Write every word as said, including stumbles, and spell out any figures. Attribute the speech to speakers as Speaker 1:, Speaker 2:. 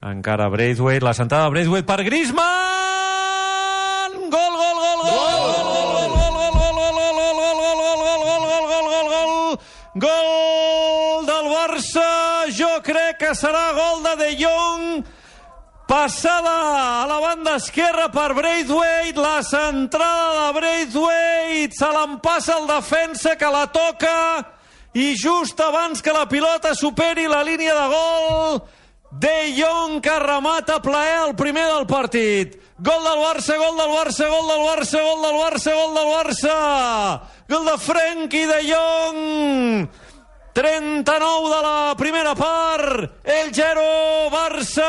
Speaker 1: Encara Braithwaite, la sentada de Braithwaite per Griezmann! Gol, gol, gol, gol! Gol del Barça, jo crec que serà gol de De Jong, passada a la banda esquerra per Braithwaite, la centrada de Braithwaite, se l'empassa el defensa que la toca i just abans que la pilota superi la línia de gol, De Jong que remata plaer el primer del partit. Gol del Barça, gol del Barça, gol del Barça, gol del Barça, gol del Barça. Gol de Frenkie de Jong. trenta-nou de la primera part. El zero, Barça